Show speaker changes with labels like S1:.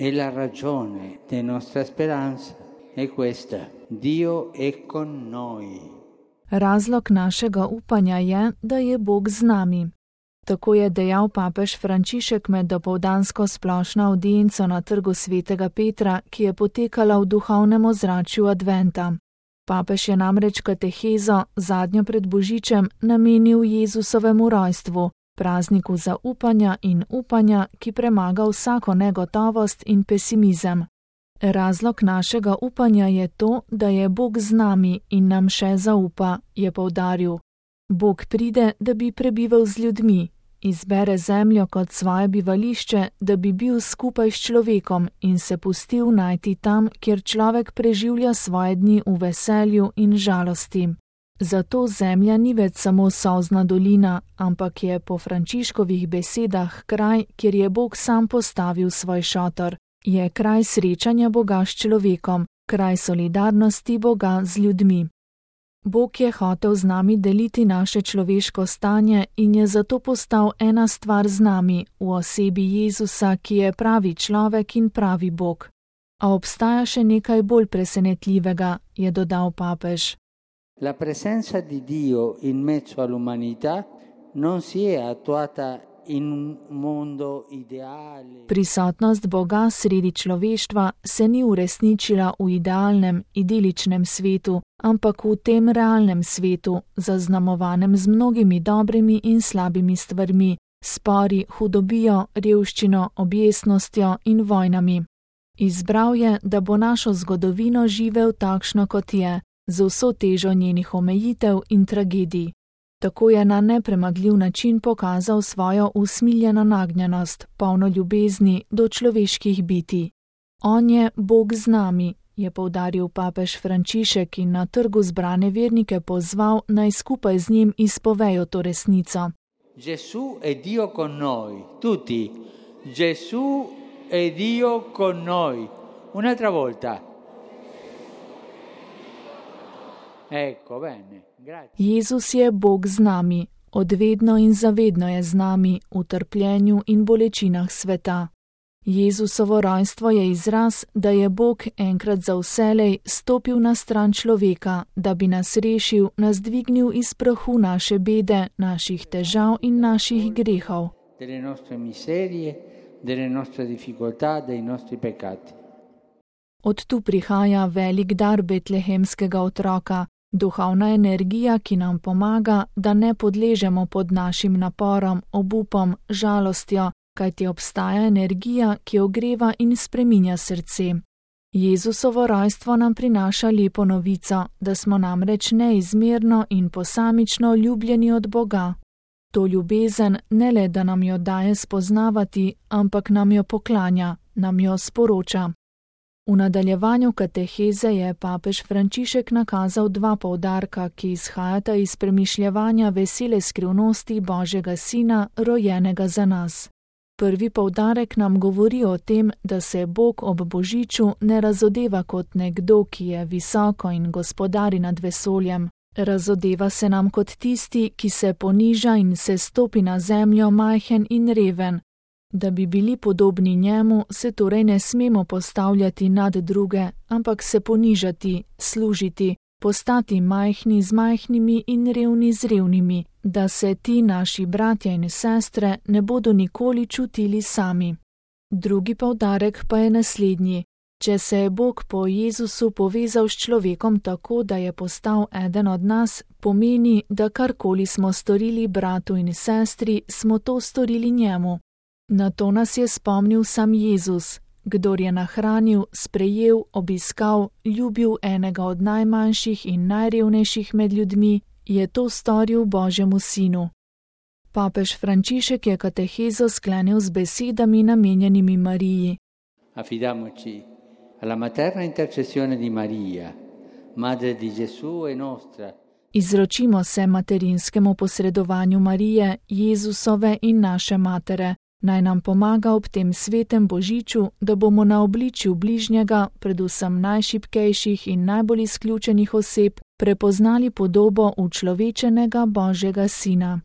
S1: E la ragione della nostra speranza è questa: Dio è con noi.
S2: Razlog našega upanja je, da je Bog z nami. Tako je dejal papež Frančišek med dopoldansko splošno avdienco na trgu svetega Petra, ki je potekala v duhovnem ozračju adventa. Papež je namreč katehezo, zadnjo pred Božičem, namenil Jezusovemu rojstvu, prazniku zaupanja in upanja, ki premaga vsako negotovost in pesimizem. Razlog našega upanja je to, da je Bog z nami in nam še zaupa, je poudaril. Bog pride, da bi prebival z ljudmi, izbere zemljo kot svoje bivališče, da bi bil skupaj s človekom in se pustil najti tam, kjer človek preživlja svoje dni v veselju in žalosti. Zato zemlja ni več samo solzna dolina, ampak je po Frančiškovih besedah kraj, kjer je Bog sam postavil svoj šotor. Je kraj srečanja Boga s človekom, kraj solidarnosti Boga z ljudmi. Bog je hotel z nami deliti naše človeško stanje in je zato postal ena stvar z nami, v osebi Jezusa, ki je pravi človek in pravi Bog. A obstaja še nekaj bolj presenetljivega, je dodal papež.
S1: La presenza di Dio in mezzo all'umanità non si è attuata in un mondo ideale.
S2: Prisotnost Boga sredi človeštva se ni uresničila v idealnem, idiličnem svetu, ampak v tem realnem svetu, zaznamovanem z mnogimi dobrimi in slabimi stvarmi, spori, hudobijo, revščino, objesnostjo in vojnami. Izbral je, da bo našo zgodovino živel takšno, kot je, z vso težo njenih omejitev in tragedij. Tako je na nepremagljiv način pokazal svojo usmiljeno nagnjenost, polno ljubezni do človeških bitij. On je Bog z nami, je poudaril papež Frančišek in na trgu zbrane vernike pozval, naj skupaj z njim izpovejo to resnico.
S1: Gesù è Dio con noi, tutti. Gesù è Dio con noi. Un'altra volta. Ecco, bene.
S2: Jezus je Bog z nami, odvedno in zavedno je z nami v trpljenju in bolečinah sveta. Jezusovo rojstvo je izraz, da je Bog enkrat za vselej stopil na stran človeka, da bi nas rešil, nas dvignil iz prahu naše bede, naših težav in naših grehov.
S1: Delle nostre miserie, delle nostre difficoltà, dei nostri peccati.
S2: Od tu prihaja velik dar betlehemskega otroka, duhovna energija, ki nam pomaga, da ne podležemo pod našim naporom, obupom, žalostjo, kajti obstaja energija, ki ogreva in spreminja srce. Jezusovo rojstvo nam prinaša lepo novico, da smo namreč neizmerno in posamično ljubljeni od Boga. To ljubezen ne le, da nam jo daje spoznavati, ampak nam jo poklanja, nam jo sporoča. V nadaljevanju kateheze je papež Frančišek nakazal dva poudarka, ki izhajata iz premišljevanja vesele skrivnosti Božjega Sina, rojenega za nas. Prvi poudarek nam govori o tem, da se Bog ob Božiču ne razodeva kot nekdo, ki je visoko in gospodari nad vesoljem. Razodeva se nam kot tisti, ki se poniža in se stopi na zemljo majhen in reven. Da bi bili podobni njemu, se torej ne smemo postavljati nad druge, ampak se ponižati, služiti, postati majhni z majhnimi in revni z revnimi, da se ti naši bratje in sestre ne bodo nikoli čutili sami. Drugi poudarek pa je naslednji. Če se je Bog po Jezusu povezal s človekom tako, da je postal eden od nas, pomeni, da karkoli smo storili bratu in sestri, smo to storili njemu. Na to nas je spomnil sam Jezus, kdor je nahranil, sprejel, obiskal, ljubil enega od najmanjših in najrevnejših med ljudmi, je to storil Božjemu Sinu. Papež Frančišek je katehezo sklenil z besedami namenjenimi Mariji.
S1: Affidiamoci alla materna intercessione di Maria, madre di Gesù e nostra.
S2: Izročimo se materinskemu posredovanju Marije, Jezusove in naše matere. Naj nam pomaga ob tem svetem Božiču, da bomo na obličju bližnjega, predvsem najšibkejših in najbolj izključenih oseb, prepoznali podobo učlovečenega Božjega Sina.